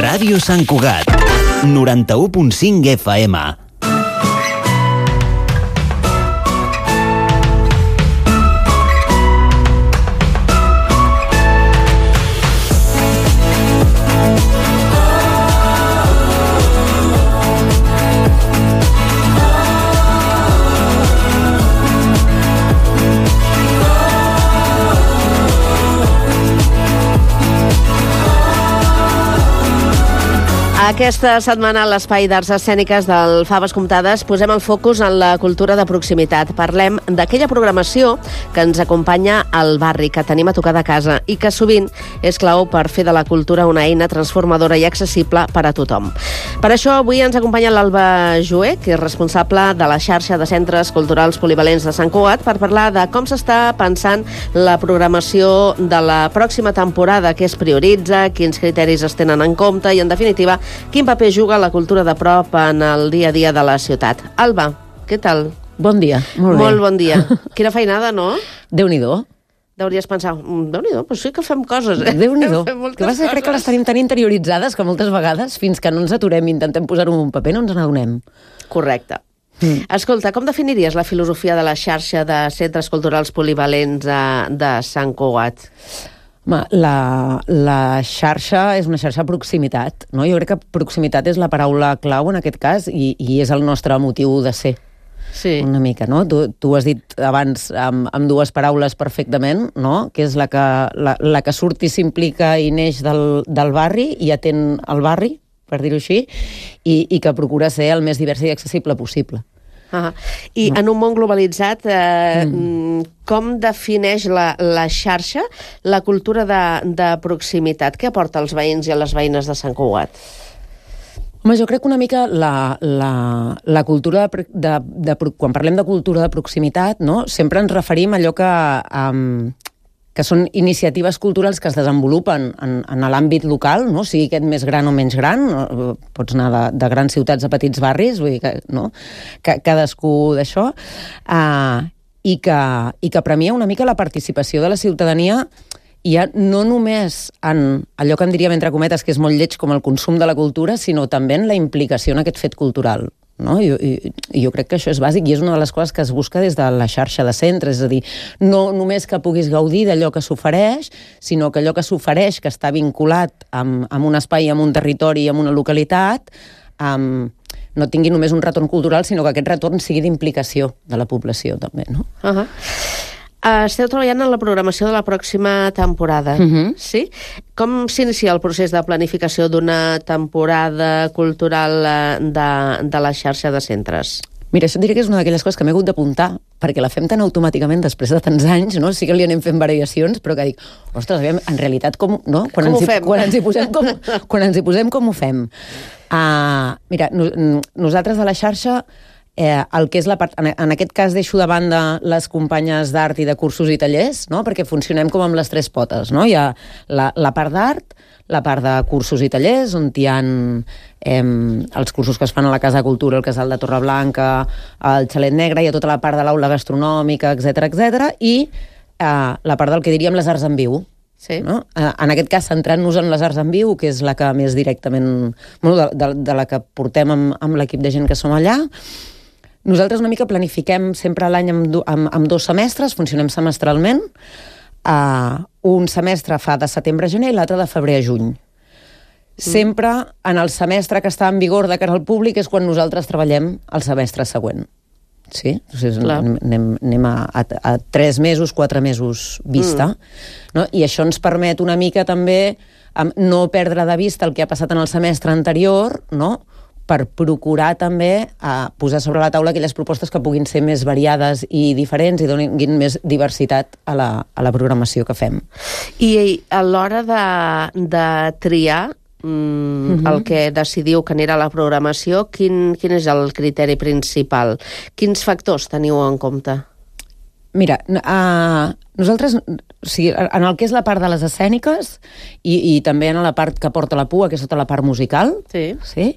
Ràdio Sant Cugat, 91.5 FM. Aquesta setmana a l'Espai d'Arts Escèniques del Faves Comptades posem el focus en la cultura de proximitat. Parlem d'aquella programació que ens acompanya al barri, que tenim a tocar de casa i que sovint és clau per fer de la cultura una eina transformadora i accessible per a tothom. Per això avui ens acompanya l'Alba Joé, que és responsable de la xarxa de centres culturals polivalents de Sant Cugat, per parlar de com s'està pensant la programació de la pròxima temporada, què es prioritza, quins criteris es tenen en compte i, en definitiva, quin paper juga la cultura de prop en el dia a dia de la ciutat. Alba, què tal? Bon dia, molt bé. Molt bon dia. Quina feinada, no? Déu-n'hi-do. Hauries pensat, Déu-n'hi-do, però sí que fem coses. Déu-n'hi-do. Que crec que les tenim tan interioritzades que moltes vegades, fins que no ens aturem i intentem posar-ho en un paper, no ens n'adonem. Correcte. Escolta, com definiries la filosofia de la xarxa de centres culturals polivalents de Sant Cugat? La xarxa és una xarxa de proximitat, no? Jo crec que proximitat és la paraula clau en aquest cas i és el nostre motiu de ser. Sí. Una mica, no? Tu has dit abans amb dues paraules perfectament, no? Que és la que surt i s'implica i neix del barri i atén el barri, per dir-ho així, i que procura ser el més divers i accessible possible. I en un món globalitzat, com defineix la xarxa la cultura de proximitat? Què aporta als veïns i a les veïnes de Sant Cugat? Home, jo crec que una mica la cultura quan parlem de cultura de proximitat, no? Sempre ens referim a allò que són iniciatives culturals que es desenvolupen en l'àmbit local, no? Sigui aquest més gran o menys gran, pots anar de grans ciutats a petits barris, vull dir que, no? Cadascú d'això, i que premia una mica la participació de la ciutadania ja no només en allò que en diríem entre cometes que és molt lleig com el consum de la cultura, sinó també en la implicació en aquest fet cultural. No? Jo crec que això és bàsic i és una de les coses que es busca des de la xarxa de centres, és a dir, no només que puguis gaudir d'allò que s'ofereix, sinó que allò que s'ofereix, que està vinculat amb un espai, amb un territori, amb una localitat, no tingui només un retorn cultural, sinó que aquest retorn sigui d'implicació de la població, també, no? Esteu treballant en la programació de la pròxima temporada, sí? Com s'inicia el procés de planificació d'una temporada cultural de la xarxa de centres? Mira, això et diré que és una d'aquelles coses que m'he hagut d'apuntar, perquè la fem tan automàticament després de tants anys, no? Sí que li anem fent variacions, però que dic, ostres, aviam, en realitat com, no? Quan ens hi posem, com ho fem? Mira, nosaltres de la xarxa, el que és la part, en aquest cas deixo de banda les companyes d'art i de cursos i tallers, no? Perquè funcionem com amb les tres potes, no? Hi ha la part d'art, la part de cursos i tallers, on hi ha els cursos que es fan a la Casa de Cultura, el Casal de Torreblanca, el Xalet Negre, hi ha tota la part de l'aula gastronòmica, etc, i la part del que diríem les arts en viu. Sí. No? En aquest cas, centrant-nos en les arts en viu, que és la que més directament, de la que portem amb l'equip de gent que som allà. Nosaltres una mica planifiquem sempre l'any amb 2 semestres, funcionem semestralment. Un semestre fa de setembre a gener i l'altre de febrer a juny. Sempre en el semestre que està en vigor de cara al públic és quan nosaltres treballem el semestre següent. Sí? O sigui, anem a 3 mesos, 4 mesos vista. No? I això ens permet una mica també no perdre de vista el que ha passat en el semestre anterior, no? Per procurar també posar sobre la taula aquelles propostes que puguin ser més variades i diferents i donin més diversitat a la programació que fem. I a l'hora de triar el que decidiu que anirà a la programació, quin és el criteri principal? Quins factors teniu en compte? Mira, nosaltres, o sigui, en el que és la part de les escèniques i també en la part que porta la pua, que és tota la part musical, sí?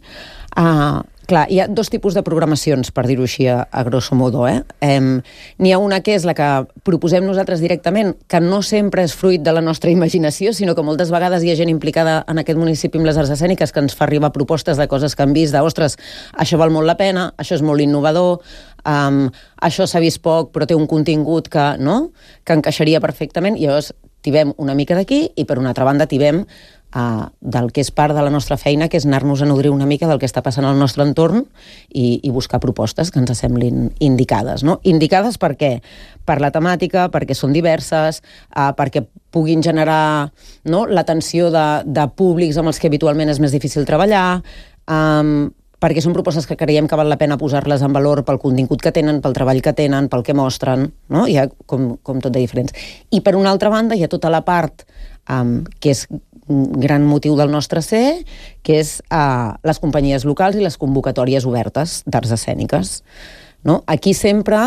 Clar, hi ha dos tipus de programacions, per dir-ho així, a grosso modo. N'hi ha una que és la que proposem nosaltres directament, que no sempre és fruit de la nostra imaginació, sinó que moltes vegades hi ha gent implicada en aquest municipi amb les arts escèniques que ens fa arribar propostes de coses que han vist, ostres, això val molt la pena, això és molt innovador, això s'ha vist poc però té un contingut que encaixaria perfectament, i llavors tibem una mica d'aquí i per una altra banda tibem del que és part de la nostra feina, que és anar-nos a nodrir una mica del que està passant al nostre entorn i buscar propostes que ens semblin indicades. No? Indicades per què? Per la temàtica, perquè són diverses, perquè puguin generar l'atenció de públics amb els que habitualment és més difícil treballar, perquè són propostes que creiem que val la pena posar-les en valor pel contingut que tenen, pel treball que tenen, pel que mostren, no? Hi ha com tot de diferents. I per una altra banda hi ha tota la part que és un gran motiu del nostre ser, que és les companyies locals i les convocatòries obertes d'arts escèniques. No? Aquí sempre,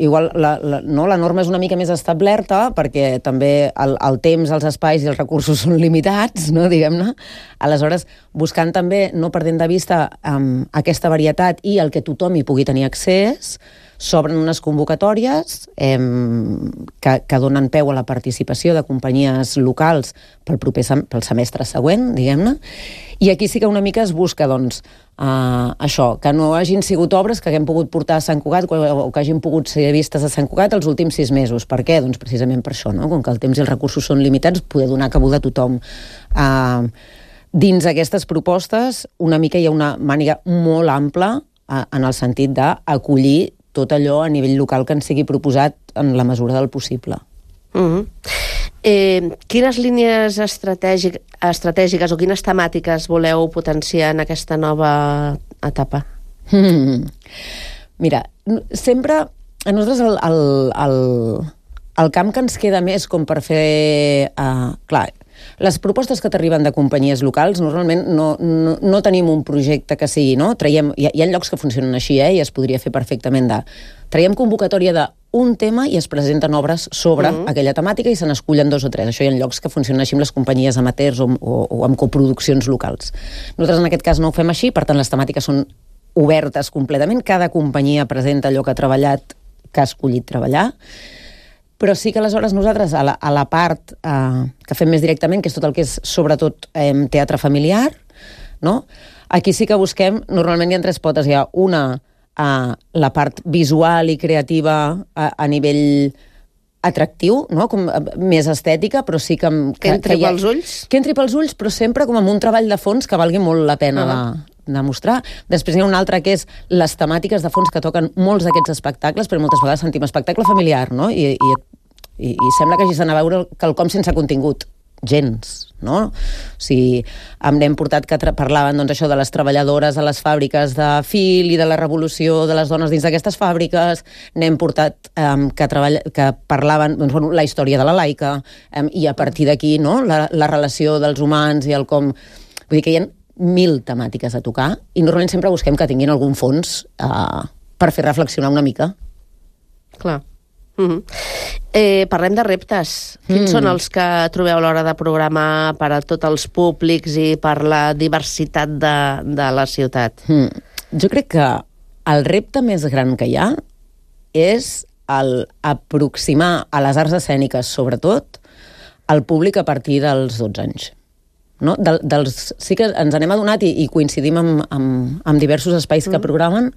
igual la norma és una mica més establerta, perquè també el temps, els espais i els recursos són limitats, no? Diguem-ne. Aleshores, buscant també, no perdent de vista aquesta varietat i el que tothom hi pugui tenir accés, s'obren unes convocatòries que donen peu a la participació de companyies locals pel semestre següent, diguem-ne, i aquí sí que una mica es busca, doncs, això, que no hagin sigut obres que haguem pogut portar a Sant Cugat o que hagin pogut ser vistes a Sant Cugat els últims 6 mesos. Per què? Doncs precisament per això, no? Com que el temps i els recursos són limitats, poder donar cabuda a tothom. Dins aquestes propostes, una mica hi ha una màniga molt ampla en el sentit d'acollir tot allò a nivell local que ens sigui proposat en la mesura del possible. Quines línies estratègiques o quines temàtiques voleu potenciar en aquesta nova etapa? Mira, sempre a nosaltres el camp que ens queda més com per fer... Clar, les propostes que t'arriben de companyies locals, normalment no tenim un projecte que sigui, no? Hi ha llocs que funcionen així, i es podria fer perfectament traiem convocatòria d'un tema i es presenten obres sobre aquella temàtica i se n'escullen 2 o 3. Això hi ha llocs que funcionen així amb les companyies amateurs o amb coproduccions locals. Nosaltres en aquest cas no ho fem així, per tant les temàtiques són obertes completament. Cada companyia presenta allò que ha treballat, que ha escollit treballar, però sí que aleshores nosaltres, a la part que fem més directament, que és tot el que és sobretot teatre familiar, no? Aquí sí que busquem, normalment hi ha 3 potes, hi ha una, la part visual i creativa a nivell atractiu, no? Com més estètica, però sí que... Que entri pels ulls? Que entri pels ulls, però sempre com amb un treball de fons que valgui molt la pena de mostrar. Després hi ha una altra que és les temàtiques de fons que toquen molts d'aquests espectacles, però moltes vegades sentim espectacle familiar, no? I sembla que hagis d'anar a veure quelcom sense contingut. Gens, no? O sigui, n'hem portat que parlaven, doncs, això de les treballadores a les fàbriques de fil i de la revolució de les dones dins d'aquestes fàbriques, n'hem portat que parlaven, doncs, bueno, la història de la laica, i a partir d'aquí, no?, la relació dels humans i el com... Vull dir que hi ha 1000 temàtiques a tocar i normalment sempre busquem que tinguin algun fons per fer reflexionar una mica. Clar. Parlem de reptes. Quins són els que trobeu a l'hora de programar per a tots els públics i per la diversitat de la ciutat? Jo crec que el repte més gran que hi ha és aproximar a les arts escèniques, sobretot, al públic a partir dels 12 anys. No? Sí que ens n'hem adonat i coincidim amb diversos espais que programen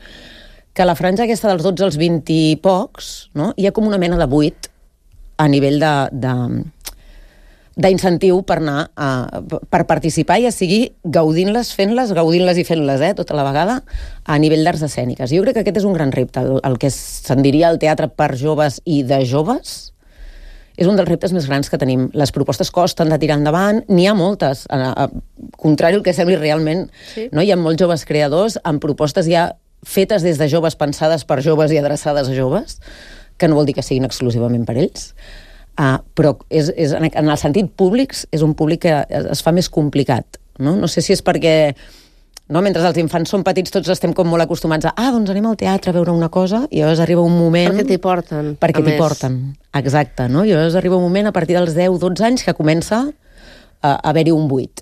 que la franja aquesta dels 12 als 20 i pocs, no? Hi ha com una mena de buit a nivell d'incentiu per anar per participar, ja sigui gaudint-les, fent-les, gaudint-les i fent-les, tota la vegada, a nivell d'arts escèniques. Jo crec que aquest és un gran repte, el que se'n diria el teatre per joves i de joves. És un dels reptes més grans que tenim. Les propostes costen de tirar endavant, n'hi ha moltes, contrari al que sembli realment, no? Hi ha molts joves creadors amb propostes ja fetes des de joves, pensades per joves i adreçades a joves, que no vol dir que siguin exclusivament per ells, però en el sentit públics és un públic que es fa més complicat. No sé si és perquè mentre els infants són petits tots estem com molt acostumats doncs anem al teatre a veure una cosa i llavors arriba un moment... Perquè t'hi porten. Perquè t'hi porten, exacte. No? I llavors arriba un moment a partir dels 10-12 anys que comença a haver-hi un buit.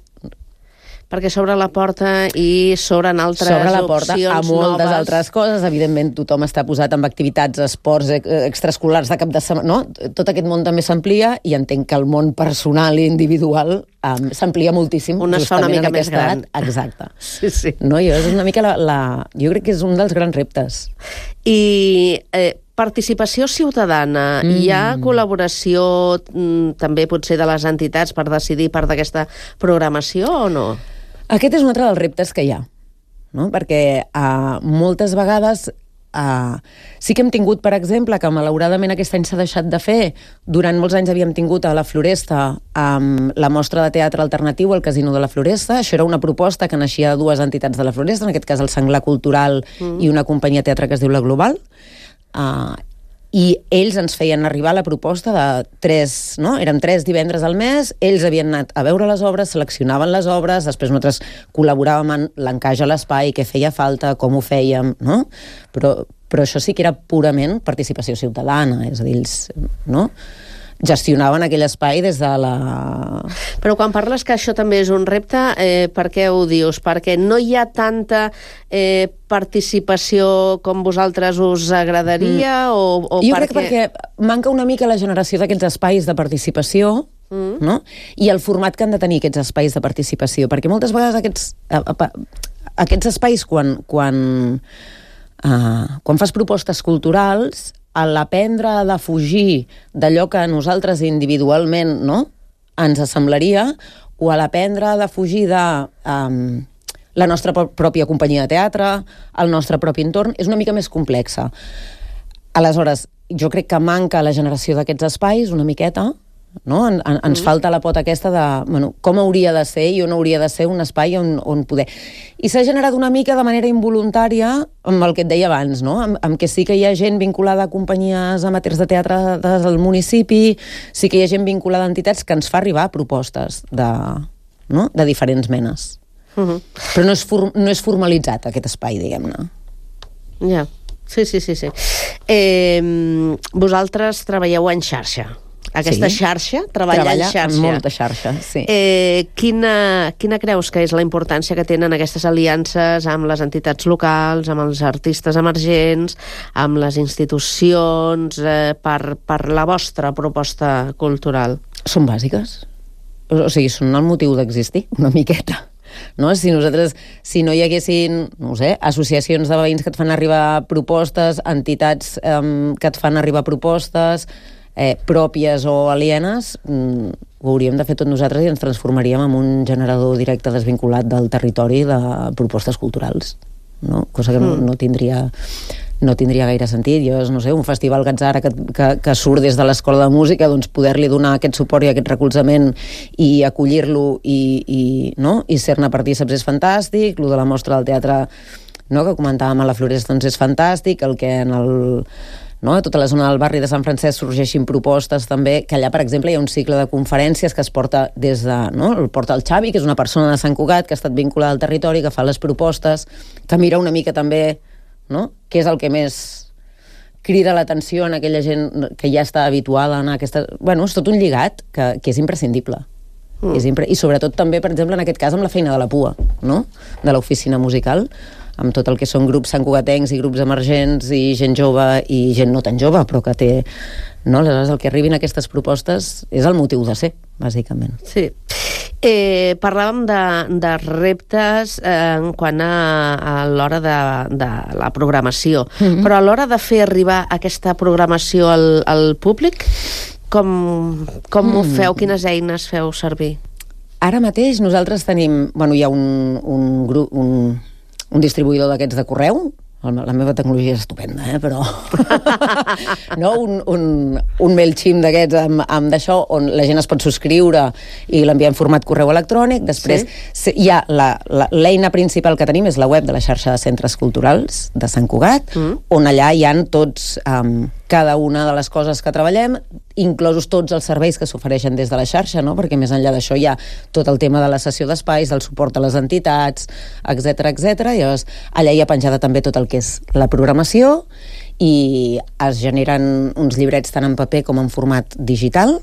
Perquè s'obre la porta i s'obren altres opcions noves. S'obre la porta a moltes altres coses. Evidentment, tothom està posat amb activitats, esports extraescolars de cap de setmana. No? Tot aquest món també s'amplia i entenc que el món personal i individual s'amplia moltíssim. Un es fa una mica més gran. Exacte. Sí. No, és una mica jo crec que és un dels grans reptes. I participació ciutadana. Hi ha col·laboració també potser de les entitats per decidir part d'aquesta programació o no? Aquest és un altre dels reptes que hi ha, no? Perquè moltes vegades sí que hem tingut, per exemple, que malauradament aquest any s'ha deixat de fer. Durant molts anys havíem tingut a la Floresta la mostra de teatre alternatiu al Casino de la Floresta. Això era una proposta que naixia de dues entitats de la Floresta, en aquest cas el Senglar Cultural i una companyia de teatre que es diu La Global. I ells ens feien arribar la proposta de 3, no? Eren 3 divendres al mes, ells havien anat a veure les obres, seleccionaven les obres, després nosaltres col·laboràvem en l'encaix a l'espai, què feia falta, com ho fèiem, no? Però això sí que era purament participació ciutadana, és a dir, ells, no? Gestionaven aquell espai des de la... Però quan parles que això també és un repte, per què ho dius? Perquè no hi ha tanta participació com vosaltres us agradaria? O jo crec que perquè manca una mica la generació d'aquests espais de participació, no? I el format que han de tenir aquests espais de participació, perquè moltes vegades aquests espais, quan fas propostes culturals, a l'aprendre a defugir d'allò que a nosaltres individualment, no?, ens assemblaria, o a l'aprendre a defugir de la nostra pròpia companyia de teatre, el nostre propi entorn, és una mica més complexa. Aleshores, jo crec que manca la generació d'aquests espais una miqueta, no? Ens falta la pota aquesta de com hauria de ser i on hauria de ser un espai on poder... I s'ha generat una mica de manera involuntària amb el que et deia abans, no? Amb que sí que hi ha gent vinculada a companyies amateurs de teatre del municipi, sí que hi ha gent vinculada a entitats que ens fa arribar propostes de diferents menes. Però no és formalitzat aquest espai, diguem-ne. Ja, sí. Vosaltres treballeu en xarxa. Aquesta xarxa, treballa en xarxa. En molta xarxa, sí. Quina creus que és la importància que tenen aquestes aliances amb les entitats locals, amb els artistes emergents, amb les institucions, per la vostra proposta cultural? Són bàsiques. O sigui, són el motiu d'existir, una miqueta. No? Si no hi haguessin, no sé, associacions de veïns que et fan arribar propostes, entitats que et fan arribar propostes pròpies o alienes, ho hauríem de fer tot nosaltres i ens transformaríem en un generador directe desvinculat del territori de propostes culturals, no? Cosa que no tindria gaire sentit. Jo, no sé, un festival Gatzara que surt des de l'Escola de Música, doncs poder-li donar aquest suport i aquest recolzament i acollir-lo i ser-ne partíceps és fantàstic. Lo de la mostra del teatre, no, que comentàvem a la Floresta, doncs és fantàstic. El que a tota la zona del barri de Sant Francesc sorgeixin propostes també, que allà, per exemple, hi ha un cicle de conferències que es porta des de... el porta el Xavi, que és una persona de Sant Cugat que ha estat vinculada al territori, que fa les propostes, que mira una mica també, no?, què és el que més crida l'atenció en aquella gent que ja està habituada a anar a aquesta... és tot un lligat que és imprescindible. I sobretot també, per exemple, en aquest cas, amb la feina de la PUA, no?, de l'oficina musical, amb tot el que són grups santcugatencs i grups emergents i gent jove i gent no tan jove, però que té... No? Aleshores, el que arribin aquestes propostes és el motiu de ser, bàsicament. Sí. Parlàvem de reptes en quant a l'hora de la programació, però a l'hora de fer arribar aquesta programació al públic, com ho feu? Quines eines feu servir? Ara mateix nosaltres tenim... hi ha un distribuïdor d'aquests de correu. La meva tecnologia és estupenda, però... un MailChimp d'aquests amb d'això, on la gent es pot subscriure i l'enviar en format correu electrònic. Després hi ha l'eina principal que tenim és la web de la xarxa de centres culturals de Sant Cugat, on allà hi ha tots... cada una de les coses que treballem, inclosos tots els serveis que s'ofereixen des de la xarxa, no? Perquè més enllà d'això hi ha tot el tema de la cessió d'espais, del suport a les entitats, etc. I llavors allà hi ha penjada també tot el que és la programació i es generen uns llibrets tant en paper com en format digital,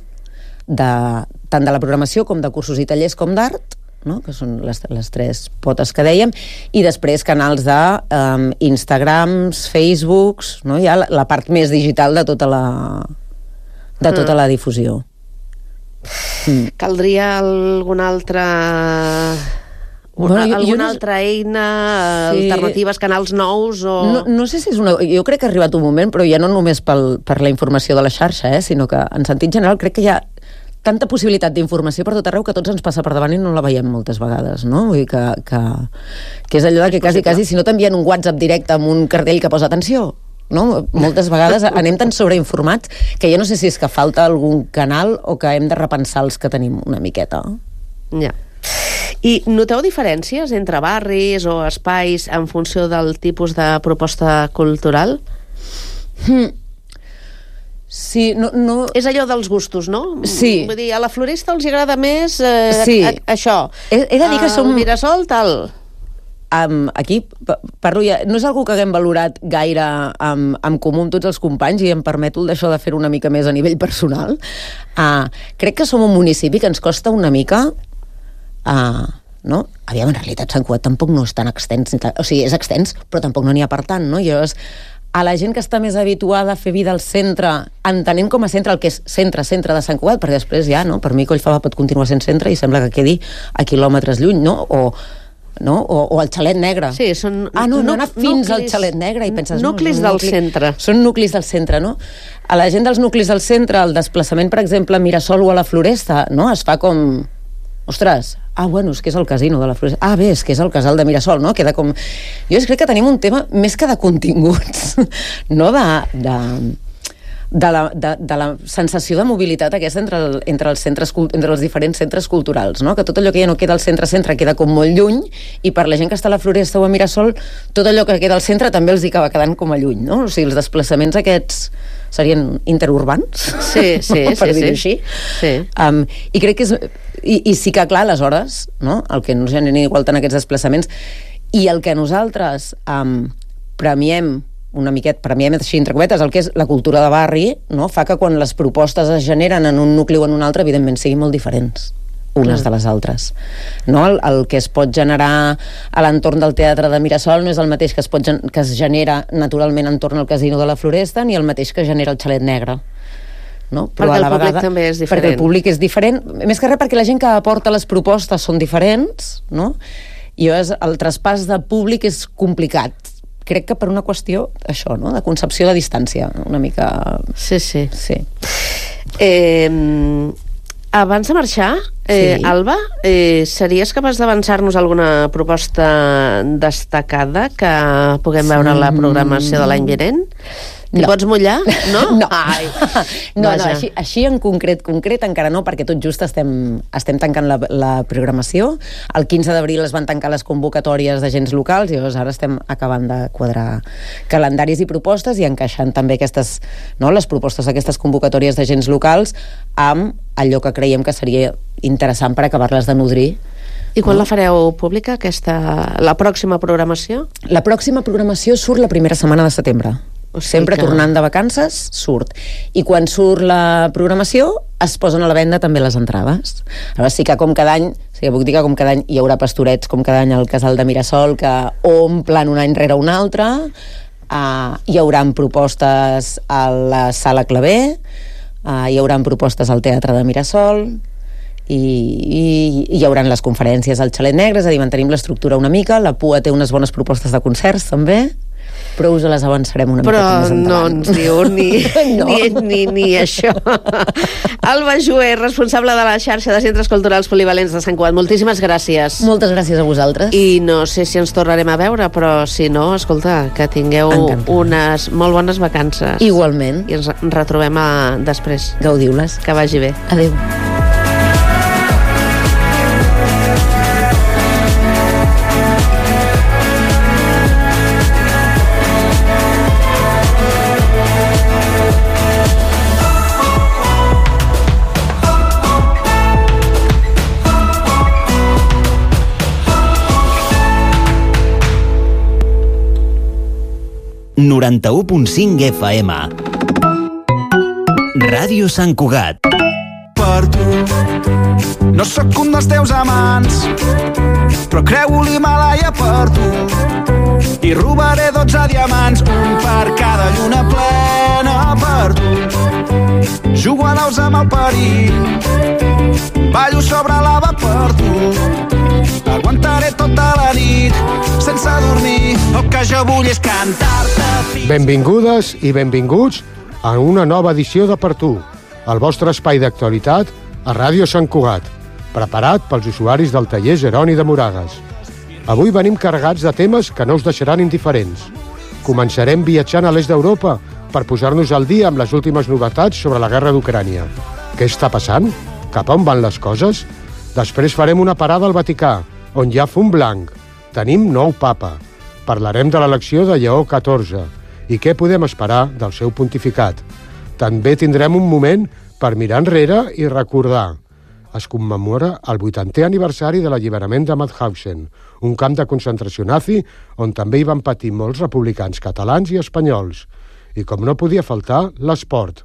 tant de la programació com de cursos i tallers com d'art, no? Que són les tres potes que dèiem, i després canals de Instagrams, Facebooks, no? Ja la part més digital de tota la difusió. Caldria alguna altra... alguna altra eina, alternatives, canals nous o... No sé si és una... Jo crec que ha arribat un moment, però ja no només per la informació de la xarxa, sinó que en sentit general crec que hi ha tanta possibilitat d'informació per tot arreu que a tots ens passa per davant i no la veiem moltes vegades, no? Vull dir que és allò de que quasi si no t'envien un WhatsApp directe amb un cartell que posa atenció, no? Moltes vegades anem tan sobreinformats que ja no sé si és que falta algun canal o que hem de repensar els que tenim una miqueta. Ja. I noteu diferències entre barris o espais en funció del tipus de proposta cultural? Sí, no... És allò dels gustos, no? Sí. Vull dir, a la Floresta els agrada més això. He de dir que som... Al Mirasol, tal... Aquí parlo ja, no és algú que haguem valorat gaire en comú amb tots els companys i em permeto d'això de fer una mica més a nivell personal. Crec que som un municipi que ens costa una mica no? Aviam, en realitat Sant Cugat tampoc no és tan extens, o sigui, és extens, però tampoc no n'hi ha per tant, no? Llavors, a la gent que està més habituada a fer vida al centre, entenent com a centre el que és centre de Sant Cugat, perquè després ja, no? Per mi Collfava pot continuar sent centre i sembla que quedi a quilòmetres lluny, no? O el Xalet Negre. Sí, són... no anar fins al Xalet Negre i penses... Nuclis del centre. Són nuclis del centre, no? A la gent dels nuclis del centre, el desplaçament, per exemple, a Mirasol o a la Floresta, no? Es fa com... Ostres, bueno, és que és el casino de la Floresta. Bé, és que és el casal de Mirasol, no? Queda com... Jo crec que tenim un tema més que de continguts, no? De la sensació de mobilitat aquesta entre els diferents centres culturals, no? Que tot allò que ja no queda al centre queda com molt lluny, i per la gent que està a la Floresta o a Mirasol tot allò que queda al centre també els hi acaba quedant com a lluny, no? O sigui, els desplaçaments aquests serien interurbans, per dir-ho així. Sí. I crec que és... I sí que, clar, aleshores, no? El que no genera igual tant aquests desplaçaments i el que nosaltres premiem així entre cometes, el que és la cultura de barri, no? Fa que quan les propostes es generen en un nucli o en un altre, evidentment siguin molt diferents unes de les altres, no? El que es pot generar a l'entorn del Teatre de Mirasol no és el mateix que es genera naturalment entorn al Casino de la Floresta ni el mateix que genera el Xalet Negre, no? Però perquè el públic també és diferent. Perquè el públic és diferent, més que res perquè la gent que aporta les propostes són diferents, no? I el traspàs de públic és complicat. Crec que per una qüestió, això, no? De concepció de distància, una mica... Sí. Abans de marxar, Alba, series capaç d'avançar-nos alguna proposta destacada que puguem veure en la programació de l'any vinent? T'hi pots mullar? No? No. No, així en concret encara no, perquè tot just estem tancant la programació. El 15 d'abril es van tancar les convocatòries d'agents locals i llavors ara estem acabant de quadrar calendaris i propostes i encaixant també les propostes d'aquestes convocatòries d'agents locals amb allò que creiem que seria interessant per acabar-les de nodrir. I quan la fareu pública, la pròxima programació? La pròxima programació surt la primera setmana de setembre. Sempre tornant de vacances surt, i quan surt la programació es posen a la venda també les entrades. Llavors sí que com cada any hi haurà pastorets com cada any al Casal de Mirasol que omplen un any rere un altre, hi haurà propostes a la Sala Clavé, hi haurà propostes al Teatre de Mirasol i hi haurà les conferències al Xalet Negre, és a dir, mantenim l'estructura una mica. La PUA té unes bones propostes de concerts també, però us les avançarem una mica més endavant. Però no ens diu ni això. Alba Joué, responsable de la xarxa de centres culturals polivalents de Sant Cugat. Moltíssimes gràcies. Moltes gràcies a vosaltres. I no sé si ens tornarem a veure, però si no, escolta, que tingueu unes molt bones vacances. Igualment. I ens retrobem després. Gaudiu-les. Que vagi bé. Adéu. FM. Ràdio Sant Cugat. Per tu No sóc un dels teus amants, però creu l'Himàlaia per tu. I robaré 12 diamants, un per cada lluna plena per tu. Jugo a daus amb el perill, ballo sobre lava per tu. Aguantaré tota la nit sense dormir. El que jo vull és cantar-te. Benvingudes i benvinguts a una nova edició de Per Tu, el vostre espai d'actualitat a Ràdio Sant Cugat, preparat pels usuaris del taller Jeroni de Moragues. Avui venim carregats de temes que no us deixaran indiferents. Començarem viatjant a l'est d'Europa per posar-nos al dia amb les últimes novetats sobre la guerra d'Ucrània. Què està passant? Cap a on van les coses? Després farem una parada al Vaticà, on hi ha fum blanc. Tenim nou papa. Parlarem de l'elecció de Lleó XIV i què podem esperar del seu pontificat. També tindrem un moment per mirar enrere i recordar. Es commemora el 80è aniversari de l'alliberament de Mauthausen, un camp de concentració nazi on també hi van patir molts republicans catalans i espanyols. I com no podia faltar, l'esport.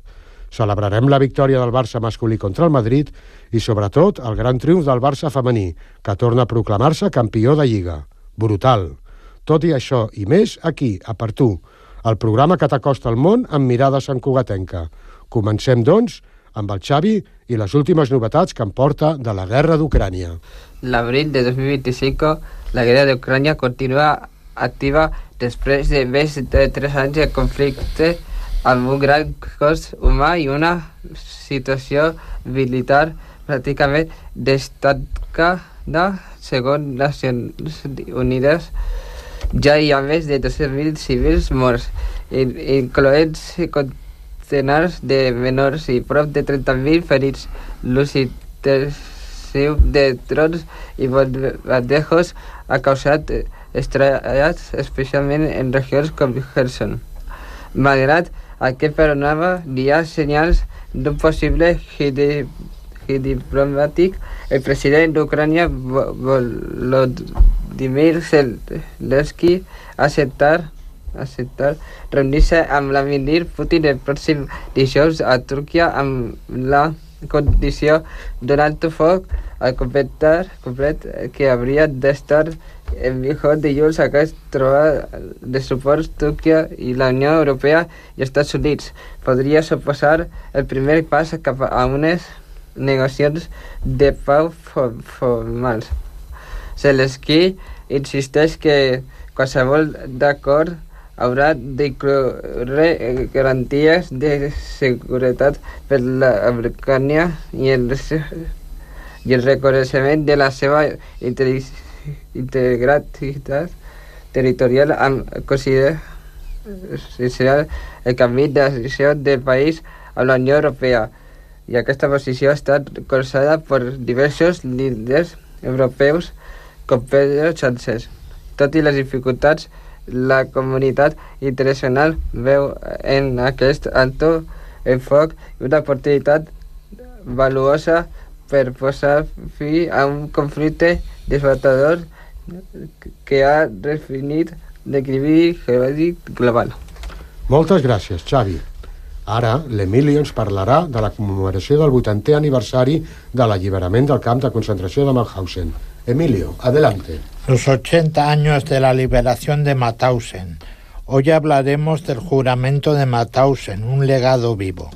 Celebrarem la victòria del Barça masculí contra el Madrid i, sobretot, el gran triomf del Barça femení, que torna a proclamar-se campió de Lliga. Brutal. Tot i això i més aquí, a Per Tu, el programa que t'acosta al món amb mirada santcugatenca. Comencem, doncs, amb el Xavi i les últimes novetats que em porta de la guerra d'Ucrània. L'abril de 2025, la guerra d'Ucrània continua activa després de més de 3 anys de conflicte amb un gran cost humà i una situació militar pràcticament destacada. Segons Nacions Unides, ja hi ha més de 200.000 civils morts, incloent centenars de menors i prop de 30.000 ferits. L'ús intensiu de drons i bombardejos ha causat estralls, especialment en regions com Kherson. Malgrat aquest panorama, hi ha senyals d'un possible gir diplomàtic. El president d'Ucrània, Volodymyr Zelensky, ha acceptat reunir-se amb Vladimir Putin el pròxim dijous a Turquia amb la condició d'un alto foc al complet que hauria d'estar en vigor dilluns. Aquesta trobada de suports Turquia i la Unió Europea i Estats Units podria suposar el primer pas cap a unes negociacions de pau formals. Zelensky insisteix que qualsevol d'acord haurà d'incloure garanties de seguretat per la Ucrània i el reconeixement de la seva integritat territorial, amb considerar el canvi d'adhesió del país a la Unió Europea. I aquesta posició ha estat recolzada per diversos líders europeus com Pedro Sánchez. Tot i les dificultats, la comunitat internacional veu en aquest alto el foc una oportunitat valuosa per posar fi a un conflicte devastador que ha definit l'equilibri geològic global. Moltes gràcies, Xavi. Ara, l'Emilio ens parlarà de la commemoració del 80è aniversari de l'alliberament del camp de concentració de Mauthausen. Emilio, adelante. Los 80 años de la liberación de Mauthausen. Hoy hablaremos del juramento de Mauthausen, un legado vivo.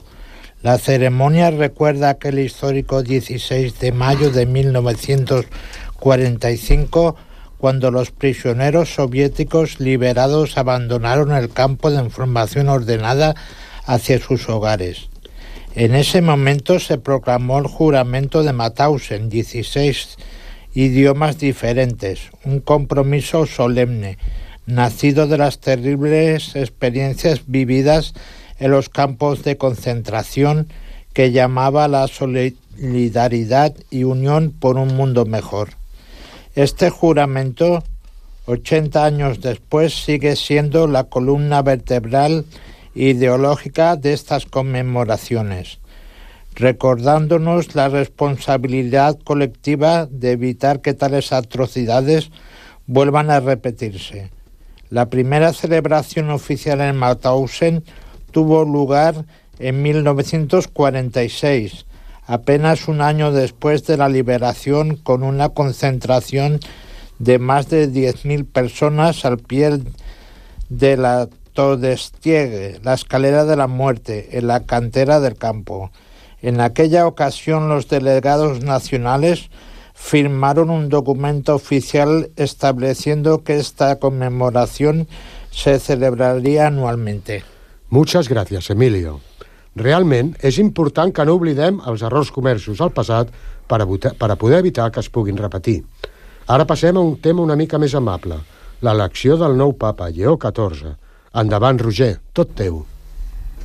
La ceremonia recuerda aquel histórico 16 de mayo de 1945, cuando los prisioneros soviéticos liberados abandonaron el campo de formación ordenada hacia sus hogares. En ese momento se proclamó el juramento de Mauthausen, 16 idiomas diferentes, un compromiso solemne, nacido de las terribles experiencias vividas en los campos de concentración, que llamaba la solidaridad y unión por un mundo mejor. Este juramento, 80 años después, sigue siendo la columna vertebral ideológica de estas conmemoraciones, recordándonos la responsabilidad colectiva de evitar que tales atrocidades vuelvan a repetirse. La primera celebración oficial en Mauthausen tuvo lugar en 1946, apenas un año después de la liberación, con una concentración de más de 10.000 personas al pie de la Todestiegue, la escalera de la muerte, en la cantera del campo. En aquella ocasión, los delegados nacionales firmaron un documento oficial estableciendo que esta conmemoración se celebraria anualmente. Muchas gracias, Emilio. Realment és important que no oblidem els errors comesos al passat per a poder evitar que es puguin repetir. Ara passem a un tema una mica més amable, l'elecció del nou papa, Lleó XIV. Endavant, Roger, tot teu.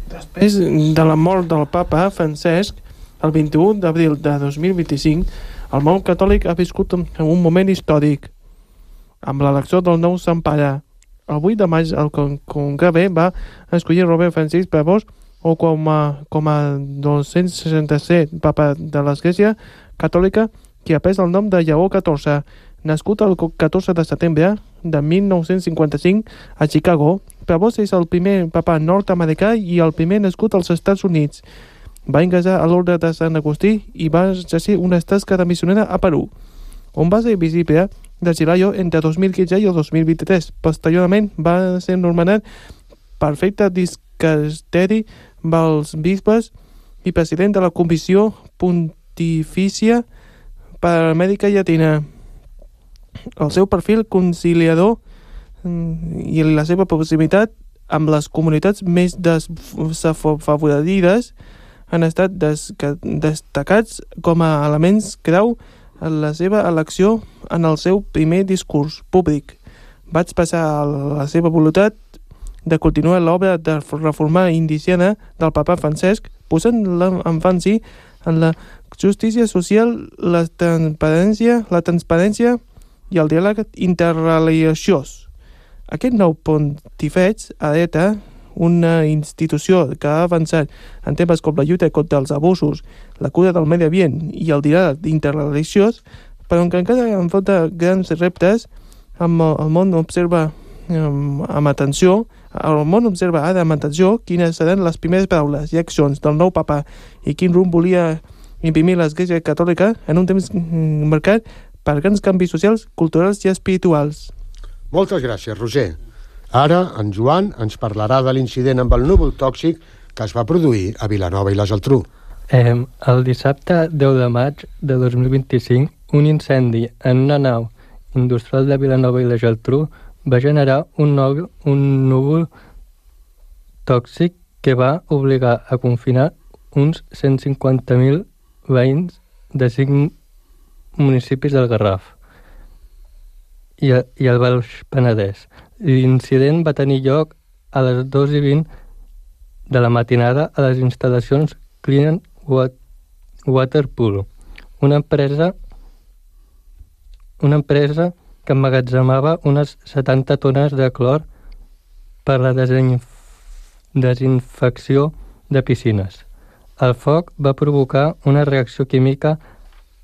Després de la mort del papa Francesc, el 21 d'abril de 2025, el món catòlic ha viscut un moment històric, amb l'elecció del nou Sant Pare. El 8 de maig, el Conclave va escollir Robert Francis Prevost com a 267 papa de l'Església Catòlica, que ha pres el nom de Lleó XIV, nascut el 14 de setembre de 1955 a Chicago. Prevost és el primer papa nord-americà i el primer nascut als Estats Units. Va ingressar a l'ordre de Sant Agustí i va exercir una tasca de missionera a Perú, on va ser visible de Chilayo entre 2015 i el 2023. Posteriorment va ser nomenat prefecte dicasteri dels bisbes i president de la Comissió Pontifícia per Amèrica Llatina. El seu perfil conciliador i la seva proximitat amb les comunitats més desfavorides han estat destacats com a elements clau en la seva elecció en el seu primer discurs públic. Va expressar la seva voluntat de continuar l'obra de reforma indiciana del papa Francesc, posant l'èmfasi en la justícia social, la transparència i el diàleg interreligiós. Aquest nou pontifeig hereta una institució que ha avançat en temes com la lluita contra els abusos, la cura del medi ambient i el diàleg interreligiós, però que encara enfronta grans reptes. El món observa amb atenció quines seran les primeres paraules i accions del nou papa i quin rumb volia imprimir l'Església Catòlica en un temps marcat per grans canvis socials, culturals i espirituals. Moltes gràcies, Roger. Ara, en Joan ens parlarà de l'incident amb el núvol tòxic que es va produir a Vilanova i la Geltrú. El dissabte 10 de maig de 2025, un incendi en una nau industrial de Vilanova i la Geltrú va generar un núvol tòxic que va obligar a confinar uns 150.000 veïns de 5 municipis del Garraf i el Baix Penedès. L'incident va tenir lloc a les 2:20 de la matinada a les instal·lacions Clean Water Pool, una empresa que emmagatzemava unes 70 tones de clor per la desinfecció de piscines. El foc va provocar una reacció química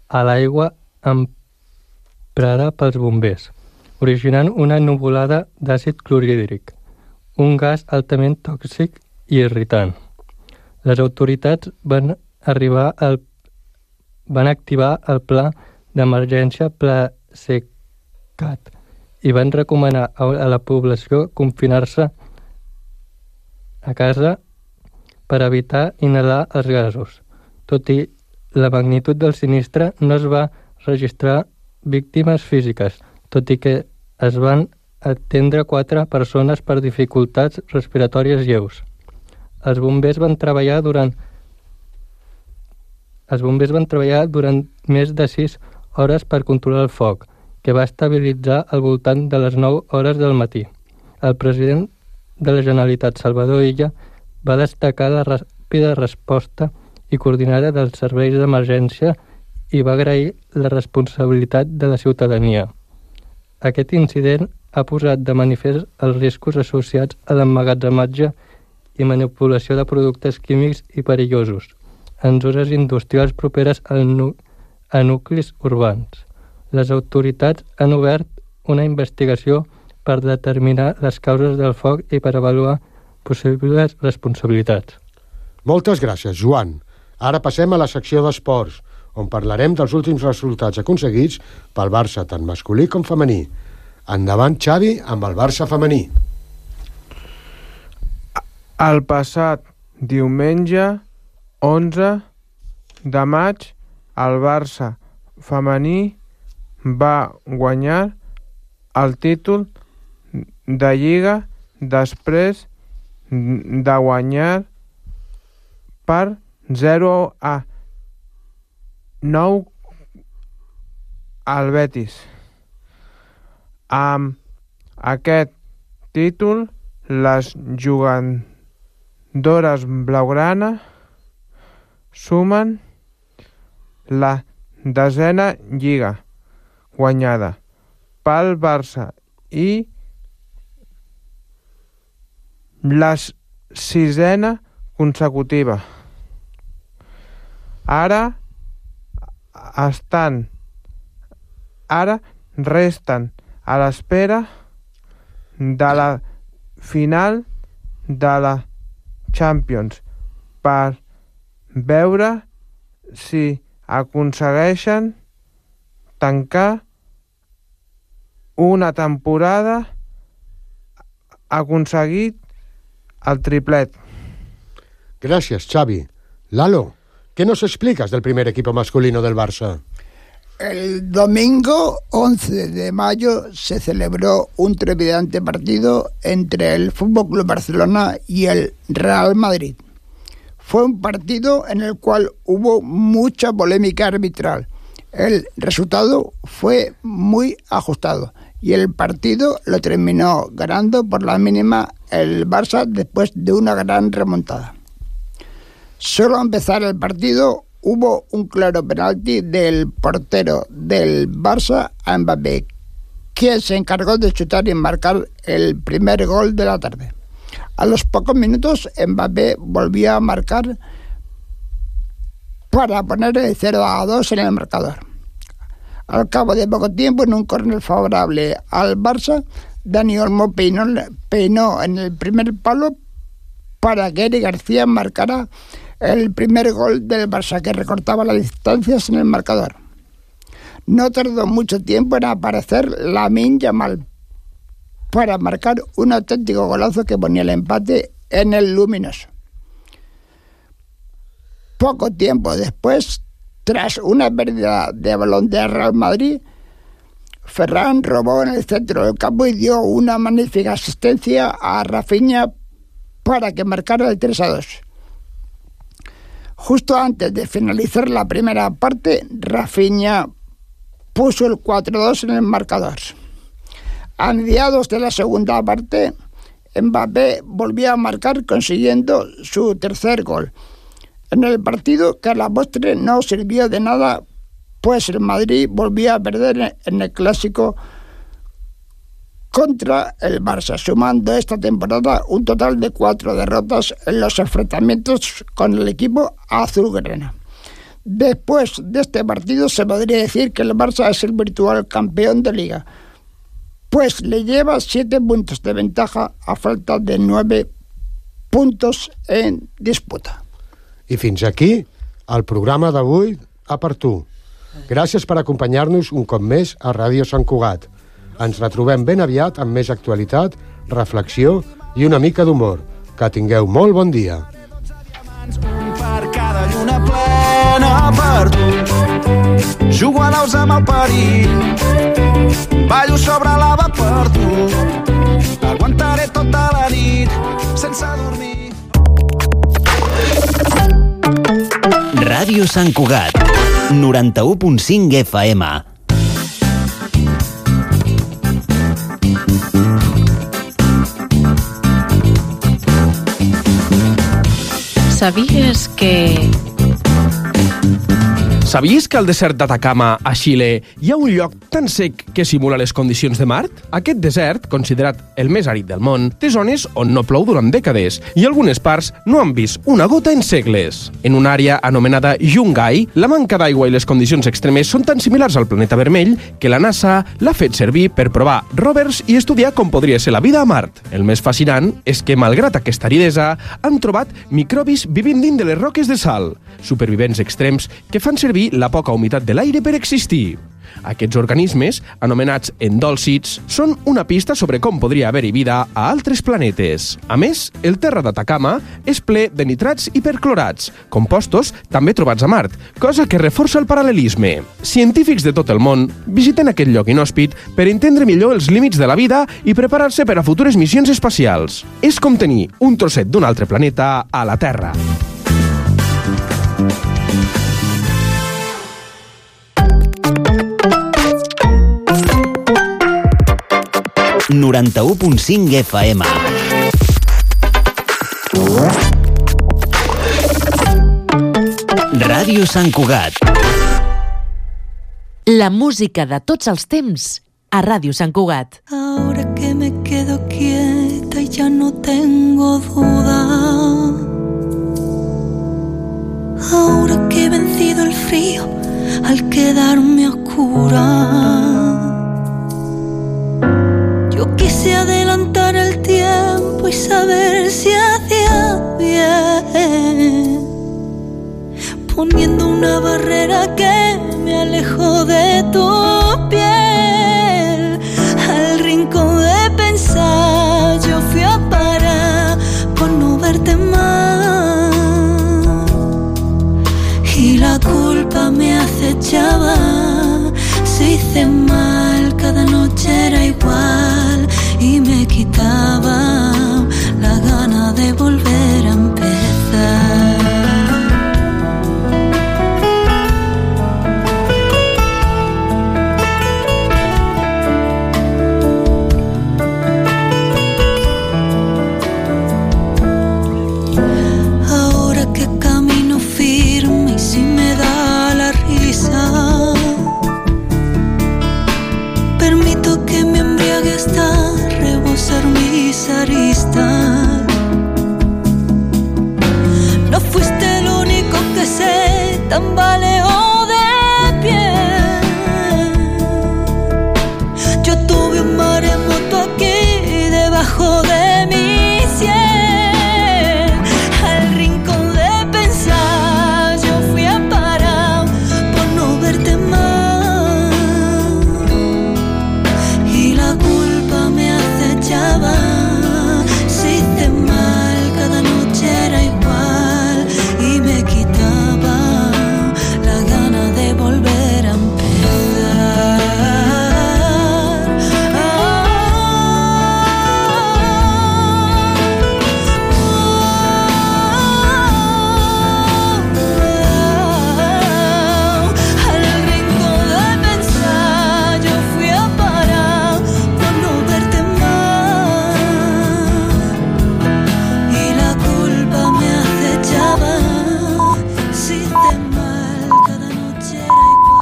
a l'aigua emprada pels bombers, originant una nuvolada d'àcid clorhídric, un gas altament tòxic i irritant. Les autoritats van activar el pla d'emergència Plasecat i van recomanar a la població confinar-se a casa per evitar inhalar els gasos. Tot i la magnitud del sinistre, no es va registrar víctimes físiques, tot i que es van atendre 4 persones per dificultats respiratòries lleus. Els bombers van treballar durant més de 6 hores per controlar el foc, que va estabilitzar al voltant de les 9 hores del matí. El president de la Generalitat, Salvador Illa, va destacar la ràpida resposta i coordinada dels serveis d'emergència i va agrair la responsabilitat de la ciutadania. Aquest incident ha posat de manifest els riscos associats a l'emmagatzematge i manipulació de productes químics i perillosos en zones industrials properes a nuclis urbans. Les autoritats han obert una investigació per determinar les causes del foc i per avaluar possibles responsabilitats. Moltes gràcies, Joan. Ara passem a la secció d'esports, on parlarem dels últims resultats aconseguits pel Barça, tant masculí com femení. Endavant, Xavi, amb el Barça femení. El passat diumenge 11 de maig, el Barça femení va guanyar el títol de Lliga després de guanyar per 0-9 al Betis. Amb aquest títol, les jugadores blaugrana sumen la 10a Lliga guanyada pel Barça i la 6a consecutiva. Ara resten a l'espera de la final de la Champions per veure si aconsegueixen tancar una temporada aconseguit el triplet. Gracias, Xavi. Lalo, ¿qué nos explicas del primer equipo masculino del Barça? El domingo 11 de mayo se celebró un trepidante partido entre el FC Barcelona y el Real Madrid. Fue un partido en el cual hubo mucha polémica arbitral. El resultado fue muy ajustado y el partido lo terminó ganando por la mínima el Barça después de una gran remontada. Solo al empezar el partido hubo un claro penalti del portero del Barça a Mbappé, quien se encargó de chutar y marcar el primer gol de la tarde. A los pocos minutos Mbappé volvió a marcar para poner el 0-2 en el marcador. Al cabo de poco tiempo, en un córner favorable al Barça, Dani Olmo peinó en el primer palo para que Eric García marcara el primer gol del Barça, que recortaba las distancias en el marcador. No tardó mucho tiempo en aparecer Lamine Yamal para marcar un auténtico golazo que ponía el empate en el luminoso. Poco tiempo después, tras una pérdida de balón del Real Madrid, Ferran robó en el centro del campo y dio una magnífica asistencia a Rafinha para que marcara el 3-2. Justo antes de finalizar la primera parte, Rafinha puso el 4-2 en el marcador. A mediados de la segunda parte, Mbappé volvió a marcar consiguiendo su tercer gol en el partido, que a la postre no sirvió de nada, pues el Madrid volvió a perder en el clásico contra el Barça, sumando esta temporada un total de 4 derrotas en los enfrentamientos con el equipo azulgrana. Después de este partido se podría decir que el Barça es el virtual campeón de Liga, pues le lleva 7 puntos de ventaja a falta de 9 puntos en disputa. I fins aquí el programa d'avui a per tu. Gràcies per acompanyar-nos un cop més a Ràdio Sant Cugat. Ens retrobem ben aviat amb més actualitat, reflexió i una mica d'humor. Que tingueu molt bon dia. Un per cada lluna plena per tu. Jugo a naus amb el perill, ballo sobre lava per tu. Aguantaré tota la nit sense dormir. Ràdio Sant Cugat, 91.5 FM. ¿Sabías que al desert d'Atacama, a Xile, hi ha un lloc tan sec que simula les condicions de Mart? Aquest desert, considerat el més àrid del món, té zones on no plou durant dècades i algunes parts no han vist una gota en segles. En una àrea anomenada Yungay, la manca d'aigua i les condicions extremes són tan similars al planeta vermell que la NASA l'ha fet servir per provar rovers i estudiar com podria ser la vida a Mart. El més fascinant és que, malgrat aquesta aridesa, han trobat microbis vivint dins de les roques de sal. supervivents extrems que fan servir la poca humitat de l'aire per existir. Aquests organismes, anomenats endòlcids, són una pista sobre com podria haver-hi vida a altres planetes. A més, el terra d'Atacama és ple de nitrats i perclorats, compostos també trobats a Mart, cosa que reforça el paral·lelisme. Científics de tot el món visiten aquest lloc inhòspit per entendre millor els límits de la vida i preparar-se per a futures missions espacials. És com tenir un trosset d'un altre planeta a la Terra. ...91.5 FM. Ràdio Sant Cugat. La música de tots els temps a Ràdio Sant Cugat. Ahora que me quedo quieta y ya no tengo duda. Ahora que he vencido el frío al quedarme oscura. Yo quise adelantar el tiempo y saber si hacía bien, poniendo una barrera que me alejó de tu piel. Al rincón de pensar yo fui a parar por no verte más, y la culpa me acechaba. Si hice mal, cada noche era igual y me quitaba